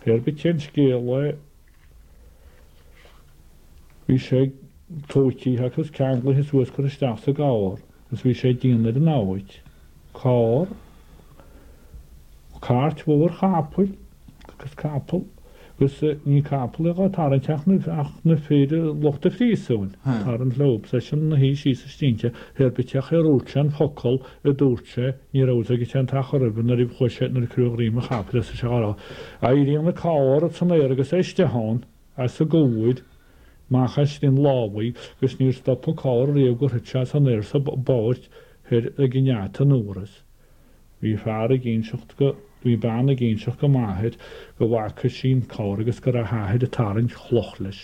Pé ar bith cén scéal é, bhí sé tóitithe agus ceanglaithe suas curtha isteach sa gcarr agus bhí sé ag déanamh ar an namhaid. Carr, cairt mhór chapaill agus capall agus ní capall é dhá tarraingt ach na ach na fir lucht an phríosúin ag tarraingt leo. Seisean ina shuí síos istigh inti, pé ar bith ach ar dhúirt sé an focal a dúirt sé, ní raibh fhios aige cén t-achar roimhe nuair a chuaigh sé nuair a cuireadh greim an chapaill as sé á rá. Éiríonn an carr san aer agus é istigh ann, as an gcúir, amach as linn lámhaigh agus níor stop an carr riamh gur thit sé san aer sa bpáirc thoir ag an ngeata an Fhuaras. Bhí fear ag inseacht go, bhí bean ag inseacht go m'athair go bhfaca sí an carr agus go raibh a hathair ag tarraingt chloch leis.